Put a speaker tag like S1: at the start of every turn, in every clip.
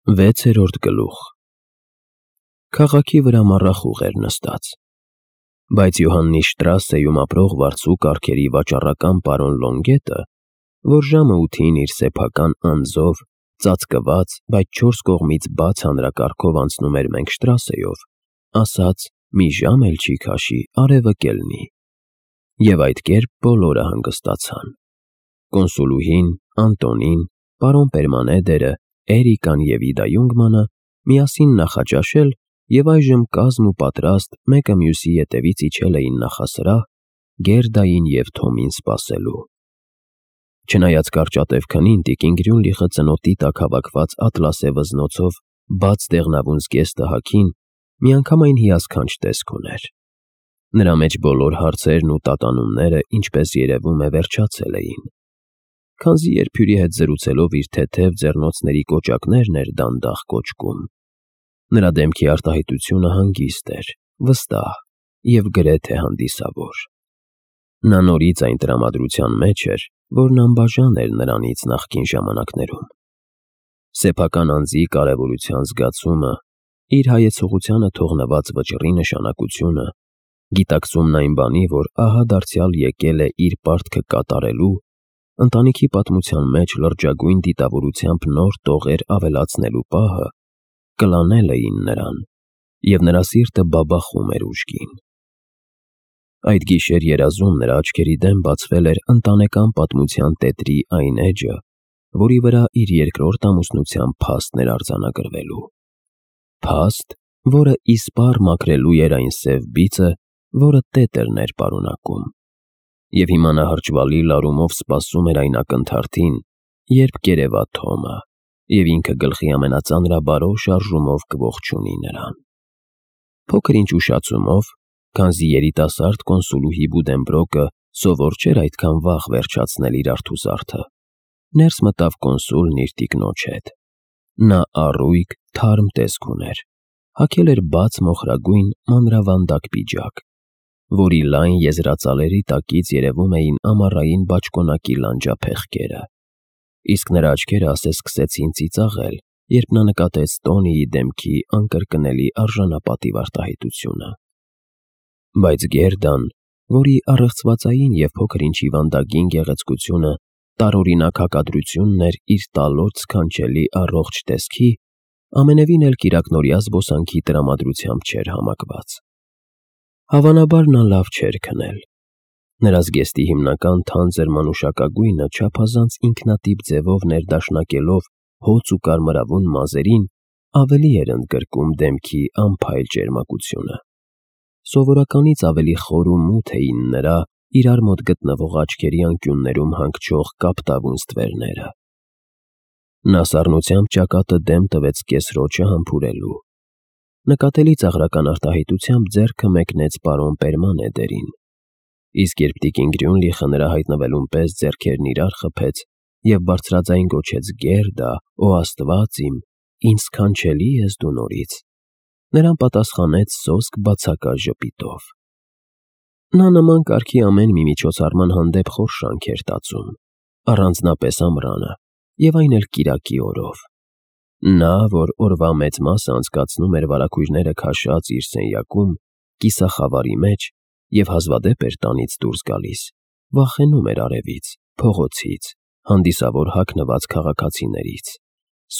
S1: 6-րդ գլուխ։ Քաղաքի վրա մառախուղ էր նստած, բայց Յոհաննի Շտրասեում ապրող վարձու կառքերի վաճառական պարոն Լոնգետը, որ ժամը 8-ին իր սեփական անձով, ծածկված, բայց 4 կողմից բաց հանրակարգով անցնում էր Մենգշտրասեով, ասաց. «Մի ժամ էլ չի քաշի, արևը կելնի»։ Եվ այդ կերպ բոլորը հանգստացան։ Կոնսուլուհին, Անտոնին, պարոն Պերմանեդերը, Էրիկան և Իդա Յունգմանը միասին նախաճաշել և այժմ կազմ ու պատրաստ մեկը մյուսի ետևից իջել էին նախասրահ՝ Գերդային և Թոմին սպասելու։ Չնայած կարճատև քնին, տիկին Գրյունլիխը ծնոտի տակ հավաքված ատլասե վզնոցով բաց դեղնավուն զգեստը հագին, միանգամայն հիասքանչ տեսք ուներ։ Նրա մեջ բոլոր հարցերն ու տատանումները, ինչպես երևում է, վերջացել էին։ Քանզի երբ հյուրի հետ զրուցելով իր թեթև ձեռնոցների կոճակներն էր դանդաղ կոճկում։ Նրա դեմքի արտահայտությունը հանգիստ էր, վստահ և գրեթե հանդիսավոր։ Նա նորից այն տրամադրության մեջ էր, որն անբաժան էր նրանից նախկին ժամանակներում։ Սեփական անձի կարևորության զգացումը, իր հայեցողությանը թողնված վճռի նշանակությունը, գիտակցումն այն բանի, որ ահա դարձյալ եկել է իր պարտքը կատարելու, ընտանիքի պատմության մեջ լրջագույն դիտավորությամբ նոր տողեր ավելացնելու պահը, կլանել էին նրան, և նրա սիրտը բաբախում էր ուժգին։ Այդ գիշեր երազում նրա աչքերի դեմ բացվել էր ընտանեկան պատմության տետրի այն էջը, որի վրա իր երկրորդ ամուսնության փաստն էր արձանագրվելու։ Փաստ, որը իսպառ մաքրելու էր այն սև բիծը, որը տետրն էր պարունակում։ Եվ հիմա նա հրճվալի լարումով սպասում էր այն ակնթարթին, երբ կերևա Թոմը, և ինքը գլխի ամենածանրաբարո շարժումով կողջունի նրան։ Փոքր-ինչ ուշացումով, քանզի երիտասարդ կոնսուլուհի Բուդենբրոկը սովոր չէր այդքան վաղ վերջացնել իր արթուզարդը, ներս մտավ կոնսուլն իր տիկնոջ հետ։ Նա առույգ, թարմ տեսք ուներ, հագել էր բաց մոխրագույն մանրավանդակ պիջակ, որի լայն եզրածալերի տակից երևում էին ամառային բաճկոնակի լանջափեղկերը, իսկ նրա աչքերը ասես սկսեցին ծիծաղել, երբ նա նկատեց Տոնիի դեմքի անկրկնելի արժանապատիվ արտահայտությունը։ Բայց Գերդան, որի առեղծվածային և փոքր-ինչ հիվանդագին գեղեցկությունը տարօրինակ հակադրությունն էր իր տալոտ սքանչելի առողջ տեսքի, ամենևին էլ կիրակնօրյա զբոսանքի տրամադրությամբ չէր համակված։ Հավանաբար նա լավ չէր քնել։ Նրա զգեստի հիմնական թանձր մանուշակագույնը չափազանց ինքնատիպ ձևով ներդաշնակելով հոծ ու կարմրավուն մազերին, ավելի էր ընդգրկում դեմքի անփայլ ճերմակությունը։ Սովորականից ավելի խոր ու մութ էին նրա իրար մոտ գտնվող աչքերի անկյուններում հանգչող կապտավուն ստվերները։ Նա սառնությամբ ճակատը դեմ տվեց կեսրոճը համբուրելու։ Նկատելի ծաղրական արտահայտությամբ ձեռքը մեկնեց պարոն Պերմանեդերին, իսկ երբ տիկին Գրյունլիխը նրա հայտնվելուն պես ձեռքերն իրար խփեց և բարձրաձայն գոչեց. «Գերդա, օ Աստված իմ, ինձ սքանչելի ես դու նորից», նրան պատասխանեց սոսկ բացակա ժպիտով։ Նա նման կարգի ամեն մի միջոցառման հանդեպ խոր շանք էր տածում, առանձնապես ամռանը, և այն էլ կիրակի օրով։ Նա, որ օրվա մեծ մասը անցկացնում էր վարագույրները քաշած իր սենյակում, կիսախավարի մեջ և հազվադեպ էր տանից դուրս գալիս, վախենում էր արևից, փողոցից, հանդիսավոր հագնված քաղաքացիներից,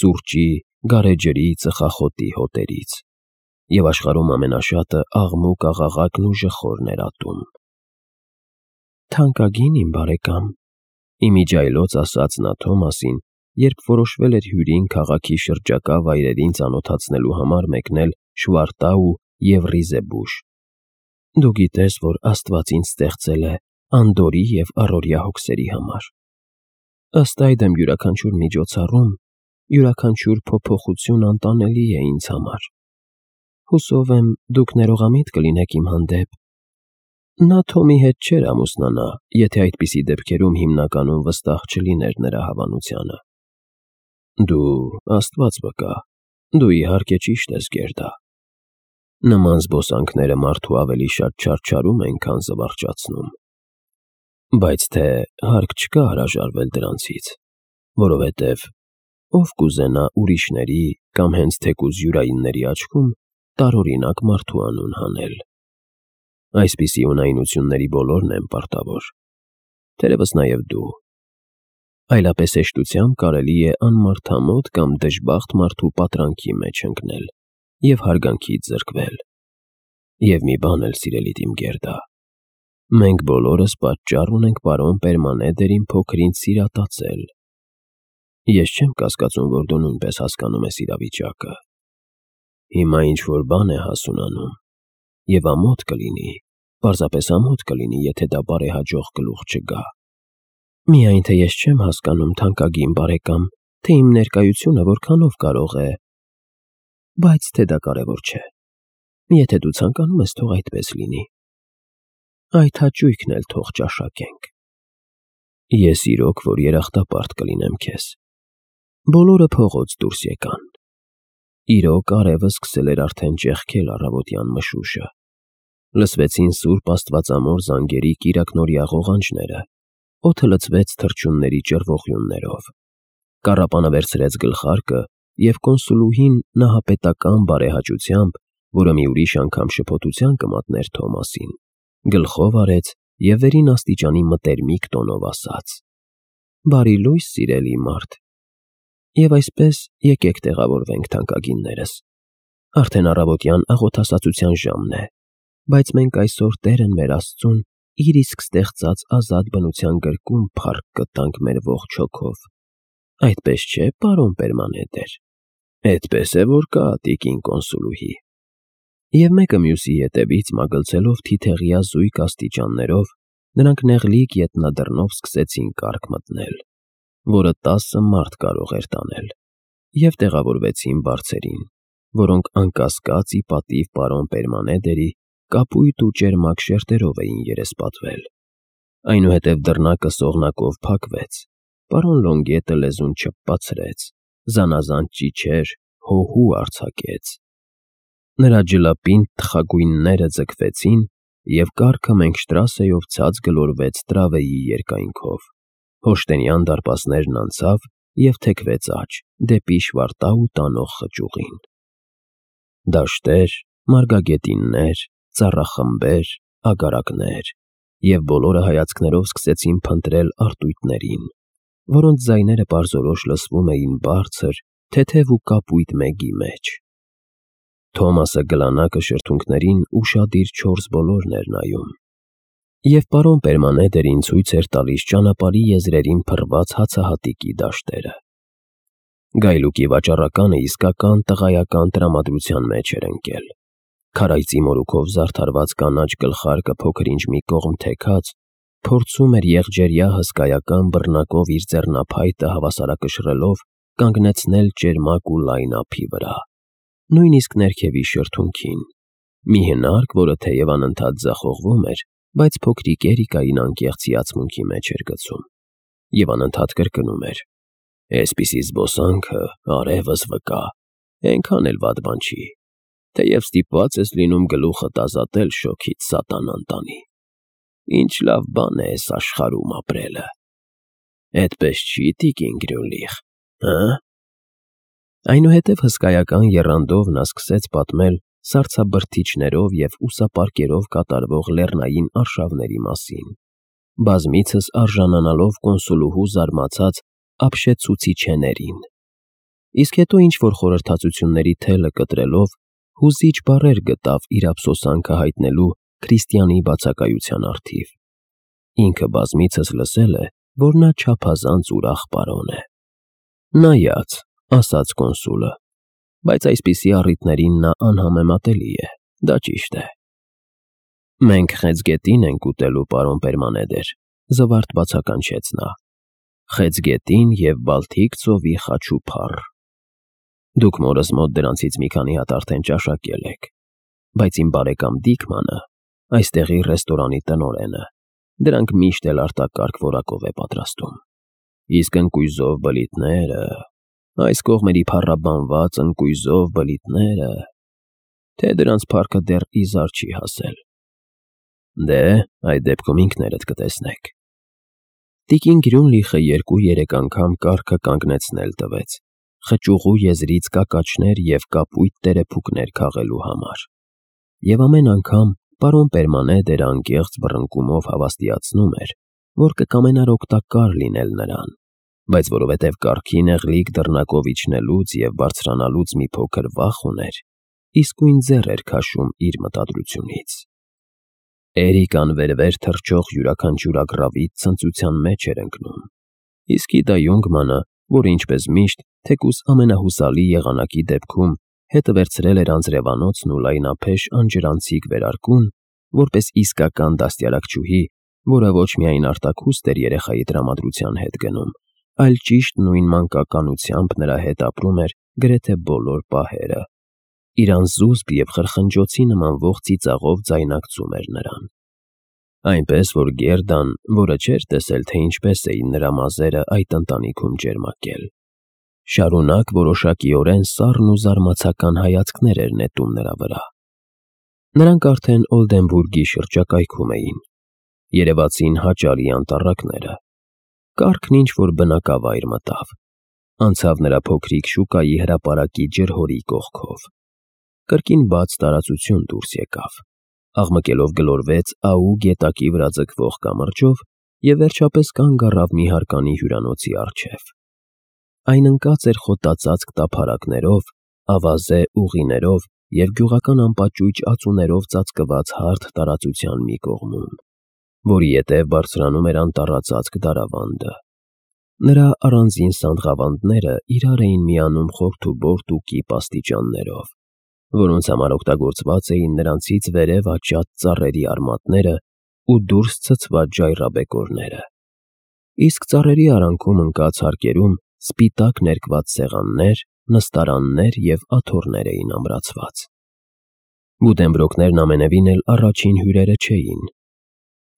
S1: սուրճի, գարեջրի, ծխախոտի հոտերից, և աշխարհում ամենաշատը աղմուկ-աղաղակն ու ժխորն էր ատում։ «Թանկագին իմ բարեկամ», ի միջիայլոց ասաց նա Թոմասին, երբ որոշվել էր հյուրին քաղաքի շրջակա վայրերին ծանոթացնելու համար մեկնել Շվարտау և Ռիզեբուշ։ «Դու գիտես, որ Աստված ինձ ստեղծել է անդորրի և առօրյա հոգսերի համար։ Ըստ այդմ յուրաքանչյուր միջոցառում, յուրաքանչյուր փոփոխություն անտանելի է ինձ համար։ Հուսով եմ, դուք ներողամիտ կլինեք իմ հանդեպ։ Նա Թոմի հետ չէր ամուսնանա, եթե այդպիսի դեպքերում հիմնականում վստահ չլիներ նրա հավանությանը»։ «Դու, Աստված վկա, դու իհարկե ճիշտ ես, Գերդա։ Նման զբոսանքները մարդու ավելի շատ չարչարում են, քան զվարճացնում։ Բայց թե հարկ չկա հրաժարվել դրանցից, որովհետև ով կուզենա ուրիշների կամ հենց թեկուզ յուրայինների աչքում տարօրինակ մարդու անուն հանել։ Այսպիսի ունայնությունների բոլորն են պարտավոր, թերևս նաև դու։ Այլապես հեշտությամբ կարելի է անմարդամոտ կամ դժբախտ մարդու պատրանքի մեջ ընկնել և հարգանքից զրկվել։ Եվ մի բան էլ, սիրելի իմ Գերդա, մենք բոլորս պատճառ ունենք պարոն Պերմանեդերին փոքր-ինչ սիրատացել։ Ես չեմ կասկածում, որ դու նույնպես հասկանում ես իրավիճակը։ Հիմա ինչ-որ բան է հասունանում, և ամոթ կլինի, պարզապես ամոթ կլինի, եթե դա բարեհաջող գլուխ չգա։ Միայն թե ես չեմ հասկանում, թանկագին բարեկամ, թե իմ ներկայությունը որքանով կարող է… Բայց թե դա կարևոր չէ։ Եթե դու ցանկանում ես, թող այդպես լինի։ Այդ հաճույքն էլ թող ճաշակենք։ Ես իրոք, որ երախտապարտ կլինեմ քեզ։ Բոլորը փողոց դուրս եկան։ Իրոք արևը սկսել էր արդեն ճեղքել առավոտյան մշուշը։ Լսվեցին սուրբ աստվածամոր զանգերի կիրակնօրյա ղողանջները, օդը լցվեց թռչունների ճռվողյուններով։ Կառապանը վերցրեց գլխարկը և կոնսուլուհին նահապետական բարեհաճությամբ, որը մի ուրիշ անգամ շփոթության կմատներ Թոմասին, գլխով արեց և վերին աստիճանի մտերմիկ տոնով ասաց. «Բարի լույս, սիրելի մարդ, և այսպես եկեք տեղավորվենք, թանկագիններս։ Արդեն առավոտյան աղոթասացության ժամն է, բայց մենք այսօր Տերն մեր Աստծուն իր իսկ ստեղծած ազատ բնության գրկում փառք կտանք մեր ողջ հոգով։ Այդպես չէ, պարոն Պերմանեդեր»։ Էդպես է, որ կա, տիկին կոնսուլուհի։ Եվ մեկը մյուսի ետևից մագլցելով թիթեղյա զույգ աստիճաններով, նրանք նեղլիկ ետնադռնով սկսեցին կառք մտնել, որը 10 մարդ կարող էր տանել, և տեղավորվեցին բարձերին, որոնք անկասկած ի պատիվ պարոն Պերմանեդերի կապույտ ու ճերմակ շերտերով էին երեսպատվել։ Այնուհետև դռնակը սողնակով փակվեց, պարոն Լոնգետը լեզուն չփփացրեց, զանազան ճիչեր, հոհու արձակեց։ Նրա ջլապինդ թխագույնները ձգվեցին, և կառքը Մենգշտրասեով ցած գլորվեց տրավեի երկայնքով, Հոշտենյան դարպասներն անցավ և թեքվեց աջ, դեպի Շվարտау տանող խճուղին։ Դաշտեր, մարգագետիններ, ծառախմբեր, ագարակներ, և բոլորը հայացքներով սկսեցին փնտրել արտույտներին, որոնց ձայները պարզորոշ լսվում էին բարձր, թեթև ու կապույտ մեգի մեջ։ Թոմասը գլանակը շրթունքներին ուշադիր չորս բոլորն էր նայում, և պարոն Պերմանեդերին ցույց էր տալիս ճանապարհի եզրերին փռված հացահատիկի դաշտերը։ Գայլուկի վաճառականը իսկական տղայական տրամադրության մեջ էր ընկել։ Քարայծի մորուքով զարդարված կանաչ գլխարկը փոքր-ինչ մի կողմ թեքած, փորձում էր եղջերյա հսկայական բռնակով իր ձեռնափայտը հավասարակշռելով կանգնեցնել ճերմակ ու լայն ափի վրա, նույնիսկ ներքևի շրթունքին, մի հնարք, որը թեև անընդհատ ձախողվում էր, բայց փոքրիկ Էրիկային անկեղծ հիացմունքի մեջ էր գցում, և անընդհատ կրկնում էր. «Էսպիսի զբոսանքը, արևս վկա, էնքան էլ վատ բան չի, թեև ստիպված ես լինում գլուխդ ազատել շոգից սատանան տանի։ Ինչ լավ բան է էս աշխարհում ապրելը։ Էդպես չի, տիկին Գրյունլիխ, հը»։ Այնուհետև հսկայական եռանդով նա սկսեց պատմել սառցաբրդիչներով և ուսապարկերով կատարվող լեռնային արշավների մասին, բազմիցս արժանանալով կոնսուլուհու զարմացած ապշեցուցիչեներին, իսկ հետո ինչ-որ խորհրդածությունների թելը կտրելով հուզիչ բառեր գտավ իր ափսոսանքը հայտնելու քրիստիանի բացակայության առթիվ։ Ինքը բազմիցս լսել է, որ նա չափազանց ուրախ պարոն է։ Նայած, ասաց կոնսուլը, բայց այսպիսի առիթներին նա անհամեմատելի է, դա ճիշտ է։ Մենք խեցգետին ենք ուտելու, պարոն Պերմանեդեր, զվարթ բացականչեց նա։ Խեցգետին և Բալթիկ ծովի խաչուփառ։ Դուք մորս մոտ դրանցից մի քանի հատ արդեն ճաշակել եք, բայց իմ բարեկամ Դիկմանը, այստեղի ռեստորանի տնօրենը, դրանք միշտ էլ արտակարգ որակով է պատրաստում։ Իսկ ընկույզով բլիթները, այս կողմերի փառաբանված ընկույզով բլիթները, թե դրանց փառքը դեռ իզար չի հասել։ Դե, այդ դեպքում ինքներդ կտեսնեք։ Տիկին Գրյունլիխը 2-3 անգամ կառքը կանգնեցնել տվեց խճուղու եզրից կակաչներ և կապույտ տերեփուկներ քաղելու համար։ Եվ ամեն անգամ պարոն Պերմանեդերը անկեղծ բռնկումով հավաստիացնում էր, որ կկամենար օգտակար լինել նրան, բայց որովհետև կառքի նեղլիկ դռնակով իջնելուց և բարձրանալուց մի փոքր վախ ուներ, իսկույն ձեռ էր քաշում իր մտադրությունից։ Էրիկան վեր-վեր թռչող յուրաքանչյուր ագռավից ցնծության մեջ էր ընկնում, իսկ Իդա Յունգմանը, որը ինչպես միշտ, թեկուզ ամենահուսալի եղանակի դեպքում հետը վերցրել էր անձրևանոցն ու լայնափեշ անջրանցիկ վերարկուն, որպես իսկական դաստիարակչուհի, որը ոչ միայն արտաքուստ էր երեխայի տրամադրության հետ գնում, այլ ճիշտ նույն մանկականությամբ նրա հետ ապրում էր գրեթե բոլոր պահերը, իր անզուսպ և խրխնջոցի նմանվող ծիծաղով ձայնարկում էր նրան։ Այնպես որ Գերդան, որը չէր տեսել, թե ինչպես էին նրա մազերը այդ ընտանիքում ճերմակել, շարունակ որոշակիորեն սառն ու զարմացական հայացքներ էր նետում նրա վրա։ Նրանք արդեն Օլդենբուրգի շրջակայքում էին, երևացին հաճարի անտառակները, կառքն ինչ-որ բնակավայր մտավ, անցավ նրա փոքրիկ շուկայի հրապարակի ջրհորի կողքով, կրկին բաց տարածություն դուրս եկավ, աղմկելով գլորվեց Աու գետակի վրա ձգվող կամրջով և վերջապես կանգ առավ մի հարկանի հյուրանոցի առջև։ Այն ընկած էր խոտածածկ տափարակներով, ավազե ուղիներով և գյուղական անպաճույճ ածուներով ծածկված հարթ տարածության մի կողմում, որի ետև բարձրանում էր անտառածածկ դարավանդը։ Նրա առանձին սանդղավանդները իրար էին միանում խորթուբորտ ու կիպ աստիճաններով, որոնց համար օգտագործված էին նրանցից վերև աճած ծառերի արմատները ու դուրս ցցված ժայռաբեկորները, իսկ ծառերի արանքում ընկած հարկերում սպիտակ ներկված սեղաններ, նստարաններ և աթոռներ էին ամրացված։ Բուդենբրոկներն ամենևին էլ առաջին հյուրերը չէին։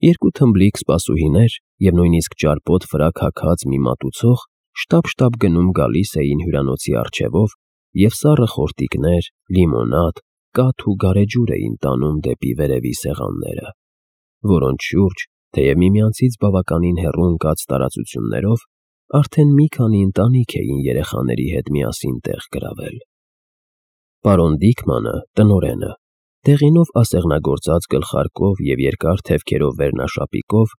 S1: Երկու թմբլիկ սպասուհիներ և նույնիսկ ճարպոտ ֆրակ հագած մի մատուցող շտապ-շտապ գնում-գալիս էին հյուրանոցի առջևով և սառը խորտիկներ, լիմոնադ, կաթ ու գարեջուր էին տանում դեպի վերևի սեղանները, որոնց շուրջ, թեև միմյանցից բավականին հեռու ընկած տարածություններով, արդեն մի քանի ընտանիք էին երեխաների հետ միասին տեղ գրավել։ Պարոն Դիքմանը, տնօրենը, դեղինով ասեղնագործած գլխարկով և երկար թևքերով վերնաշապիկով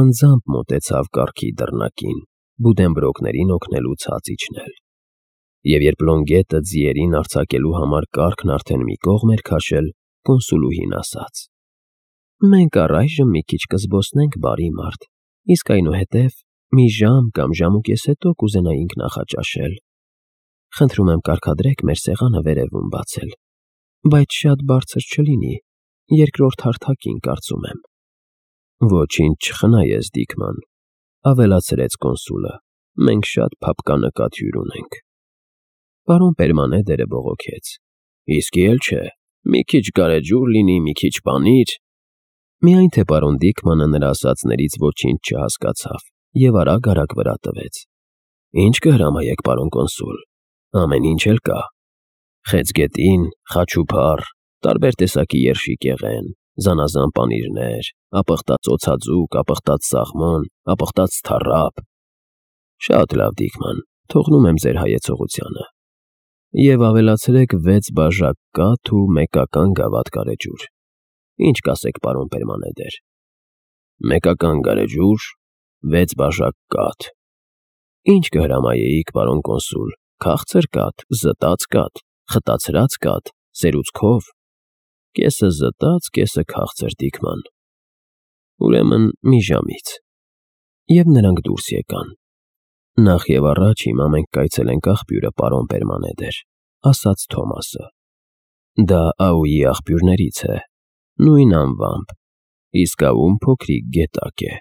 S1: անձամբ մոտեցավ կառքի դռնակին, բուդենբրոկներին օգնելու ցած իջնել։ Եվ երբ Լոնգետը ձիերին արձակելու համար կառքն արդեն մի կողմ էր քաշել, կոնսուլուհին ասաց. «Մենք առայժմ մի քիչ կզբոսնենք, բարի մարդ, իսկ այնուհետև մի ժամ կամ ժամ ու կես հետո կուզենայինք նախաճաշել։ Խնդրում եմ կարգադրեք մեր սեղանը վերևում բացել, բայց շատ բարձր չլինի, երկրորդ հարթակին, կարծում եմ»։ «Ոչինչ չխնայես, Դիքման», ավելացրեց կոնսուլը, «մենք շատ փափկանկատ հյուր ունենք»։ Պարոն Պերմանեդերը բողոքեց. «Իսկի էլ չէ, մի քիչ գարեջուր լինի, մի քիչ պանիր»։ Միայն թե պարոն Դիքմանը նրա ասածներից ոչինչ չհասկացավ և արագ-արագ վրա տվեց. «Ինչ կհրամայեք, պարոն կոնսուլ, ամեն ինչ էլ կա. խեցգետին, խաչուփառ, տարբեր տեսակի երշիկեղեն, զանազան պանիրներ, ապխտած օձաձուկ, ապխտած սաղմոն, ապխտած թառափ»։ «Շատ լավ, Դիքման, թողնում եմ ձեր հայեցողությանը։ Եվ ավելացրեք 6 բաժակ կաթ ու մեկական գավաթ գարեջուր։ Ինչ կասեք, պարոն Պերմանեդեր»։ «Մեկական գարեջուր, 6 բաժակ կաթ։ Ինչ կհրամայեիք, պարոն կոնսուլ, քաղցր կաթ, զտած կաթ, խտացրած կաթ, սերուցքով»։ «Կեսը զտած, կեսը քաղցր, Դիքման»։ «Ուրեմն մի ժամից»։ Եվ նրանք դուրս եկան։ «Նախ և առաջ հիմա մենք կայցելենք աղբյուրը, պարոն Պերմանեդեր», ասաց Թոմասը։ «Դա Աուի աղբյուրներից է, նույն անվամբ, իսկ Աուն փոքրիկ գետակ է,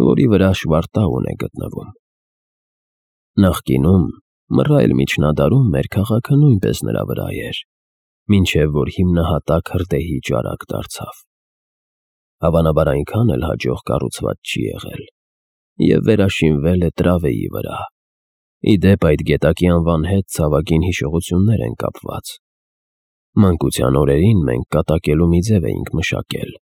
S1: որի վրա Շվարտաուն է գտնվում։ Նախկինում, մռայլ միջնադարում մեր քաղաքը նույնպես նրա վրա էր, մինչև որ հիմնահատակ հրդեհի ճարակ դարձավ։ Հավանաբար այնքան էլ հաջող կառուցված չի եղել և վերաշինվել է Տրավեի վրա։ Ի դեպ, այդ գետակի անվան հետ ցավագին հիշողություններ են կապված։ Մանկության օրերին մենք կատակելու մի ձև էինք մշակել,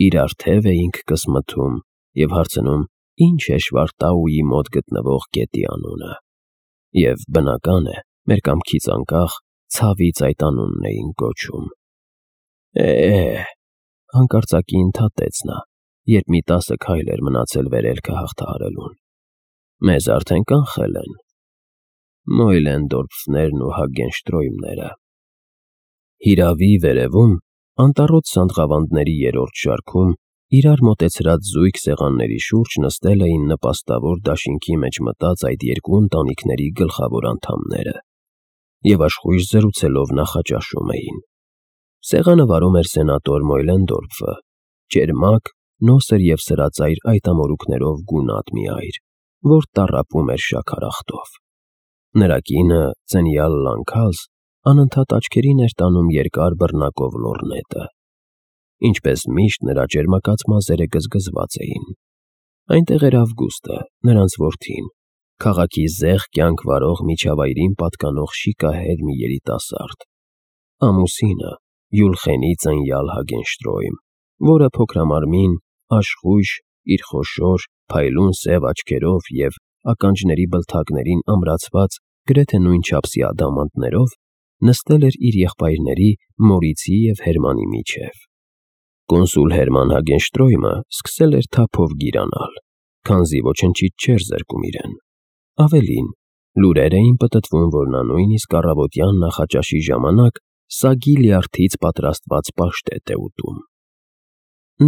S1: իրար թև էինք կսմթում և հարցնում՝ ինչ է Շվարտաուի մոտ գտնվող գետի անունը։ Եվ բնական է, մեր կամքից անկախ ցավից այդ անունն էին կոչում։ Հանկարծակի ընդհատեց նա, երբ մի 10 քայլ էր մնացել վերելքը հաղթահարելուն։ Մեզ արդեն կանխել են։ Մոյլենդորֆներն ու Հագենշտրոյմները։ Հիրավի վերևում, անտառոտ սանդղավանդների երրորդ շարքում, իրար մոտեցրած զույգ սեղանների շուրջ նստել էին նպաստավոր դաշինքի մեջ մտած այդ երկու ընտանիքների գլխավոր անդամները և աշխույժ զրուցելով նախաճաշում էին։ Սեղանը վարում էր սենատոր Մոյլենդորֆը, ճերմակ, նոսր և սրածայր այտամորուքներով գունատ մի այր, որ տառապում էր շաքարախտով։ Նրա կինը, ծնյալ Լանքալզ, անընդհատ աչքերին էր տանում երկար բռնակով լոռնետը։ Ինչպես միշտ նրա ճերմակած մազերը գզգզված էին։ Այնտեղ էր Ավգուստը, նրանց որդին, քաղաքի զեղ կյանք վարող միջավայրին պատկանող շիկահեր մի երիտասարդ, ամուսինը, Յուլխենի ծնյալ Հագենշտրոյմ, որը փոքրամարմին, աշխույժ, իր խոշոր, փայլուն սև աչքերով և ականջների բլթակներին ամրացված գրեթե նույն չափսի ադամանդներով նստել էր իր եղբայրների Մորիցի և Հերմանի միջև։ Կոնսուլ Հերման Հագենշտրոյմը սկսել էր թափով գիրանալ, քանզի ոչնչից չէր զրկում իրեն։ Ավելին, լուրեր էին պտտվում, որ նա նույնիսկ առավոտյան նախաճաշի ժամանակ սագի լյարդից պատրաստված պաշտետ է ուտում։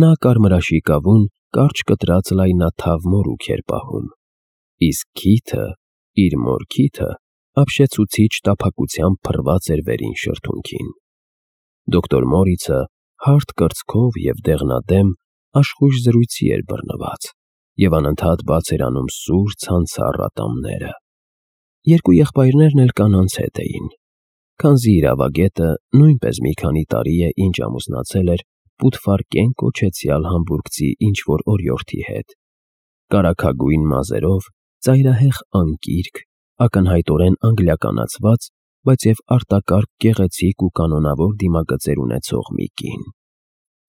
S1: Նա կարմրաշի կավուն կարճ կտրած լայնաթավ մորուք էր պահում, իսկ քիթը, իր մոր քիթը, ապշեցուցիչ տափակությամբ փռված էր վերին շրթունքին։ Դոկտոր Մորիցը հարթ կրծքով և դեղնադեմ աշխույժ զրույցի էր բռնված և անընդհատ բաց էր անում սուր ցանցառ ատամները։ Երկու եղբայրներն էլ կանանց հետ էին, քանզի իրավագետը նույնպես մի քանի տարի է, ինչ ամուսնացել էր Պուտֆարկեն կոչեցյալ համբուրգցի ինչ-որ օրիորդի հետ, կարագագույն մազերով, ծայրահեղ անկիրք, ակնհայտորեն անգլիականացված, բայց և արտակարգ գեղեցիկ ու կանոնավոր դիմագծեր ունեցող մի կին։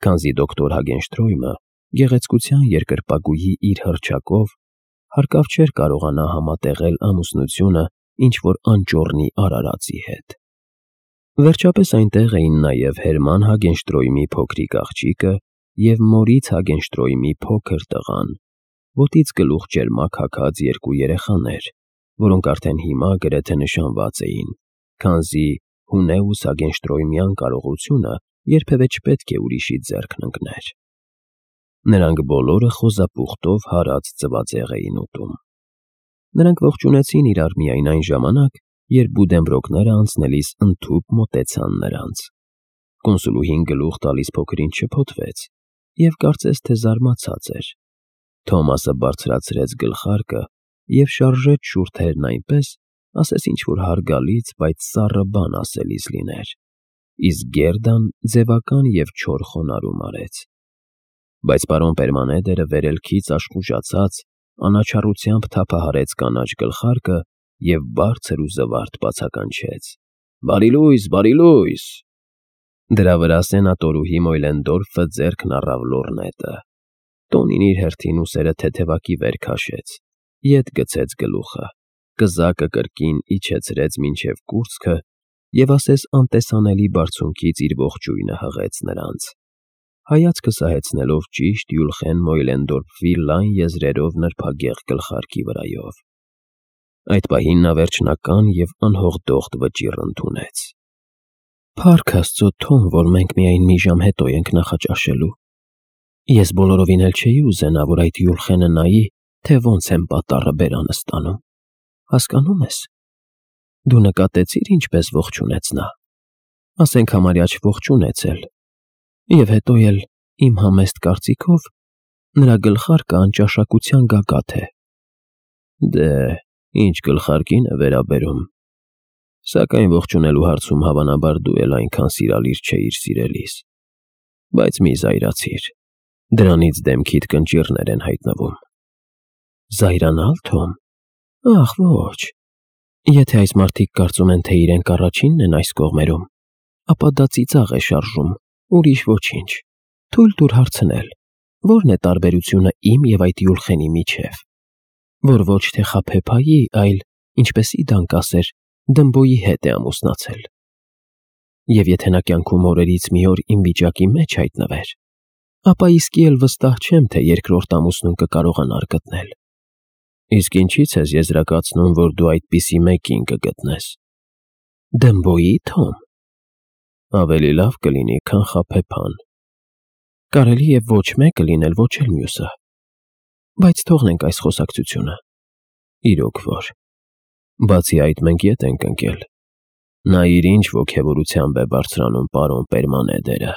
S1: Քանզի դոկտոր Հագենշտրոյմը գեղեցկության երկրպագուի իր հռչակով հարկավ չէր կարողանա համատեղել ամուսնությունը ինչ-որ անճոռնի արարածի հետ։ Վերջապես այնտեղ էին նաև Հերման Հագենշտրոյմի փոքրիկ աղջիկը և Մորից Հագենշտրոյմի փոքր տղան, ոտից գլուխ ճերմակ հագած երկու երեխաներ, որոնք արդեն հիմա գրեթե նշանված էին, քանզի Հունեուս Հագենշտրոյմյան կարողությունը երբևէ չպետք է ուրիշի ձեռքն ընկներ։ Նրանք բոլորը խոզապուխտով հարած ձվածեղ էին ուտում։ Նրանք ողջունեցին իրար միայն այն ժամանակ, երբ Բուդենբրոկները անցնելիս ընդհուպ մոտեցան նրանց։ Կոնսուլուհին գլուխ տալիս փոքրին շփոթվեց և կարծես թե զարմացած էր։ Թոմասը բարձրացրեց գլխարկը և շարժեց շուրթերն այնպես, ասես ինչ-որ հարգալից, բայց սառը բան ասելիս լիներ, իսկ Գերդան ձևական և չոր խոնարհում արեց։ Բայց պարոն Պերմանեդերը վերելքից աշխուժացած, անաչառությամբ թափահարեց կանաչ գլխարկը և բարձր ու զվարթ բացականչեց. «Բարի լույս, բարի լույս»։ Դրա վրա սենատորուհի Մոյլենդորֆը ձեռքն առավ լոռնետը, տոնին իր հերթին ուսերը թեթևակի վեր քաշեց, ետ գցեց գլուխը, կզակը կրկին իջեցրեց մինչև կուրծքը և ասես անտեսանելի բարձունքից իր ողջույնը հղեց նրանց, հայացքը սահեցնելով ճիշտ Յուլխեն Մոյլենդորֆի լայն եզրերով նրբագեղ գլխարկի վրայով։ Այդ պահին նա վերջնական և անհողդողդ վճիռ ընդունեց. «Փառք Աստծո, Թոմ, որ մենք միայն մի ժամ հետո ենք նախաճաշելու։ Ես բոլորովին էլ չէի ուզենա, որ այդ Յուլխենը նայի, թե ոնց եմ պատառը բերանս տանում։ Հասկանո՞ւմ ես։ Դու նկատեցի՞ր ինչպես ողջունեց նա։ Ասենք համարյա չողջունեց էլ։ Եվ հետո էլ, իմ համեստ կարծիքով, նրա գլխարկը անճաշակության գագաթ է»։ «Դե, ինչ գլխարկին է վերաբերում, սակայն ողջունելու հարցում հավանաբար դու էլ այնքան սիրալիր չէիր սիրելիս, բայց մի զայրացիր, դրանից դեմքիդ կնճիռներ են հայտնվում»։ «Զայրանալ, Թոմ։ Ախ, ոչ։ Եթե այս մարդիկ կարծում են, թե իրենք առաջինն են այս կողմերում, ապա դա ծիծաղ է շարժում, ուրիշ ոչինչ։ Թույլ տուր հարցնել, ո՞րն է տարբերությունը իմ և այդ Յուլխենի միջև, որ ոչ թե խաբեբայի, այլ ինչպես իդան կասեր, Դմբոյի հետ է ամուսնացել։ Եվ եթե նա կյանքում օրերից մի օր իմ վիճակի մեջ հայտնվեր, ապա իսկի էլ վստահ չեմ, թե երկրորդ ամուսնուն կկարողանար գտնել։ Իսկ ինչի՞ց ես եզրակացնում, որ դու այդպիսի մեկին կգտնես։ Դմբոյի, Թոմ։ Ավելի լավ կլինի, քան խաբեբան։ Կարելի է ոչ մեկը լինել, ոչ էլ մյուսը։ Բայց թողնենք այս խոսակցությունը։ Իրոք որ։ Բացի այդ, մենք ետ ենք ընկել։ Նա իր ինչ ոգևորությամբ է բարձրանում պարոն Պերմանեդերը։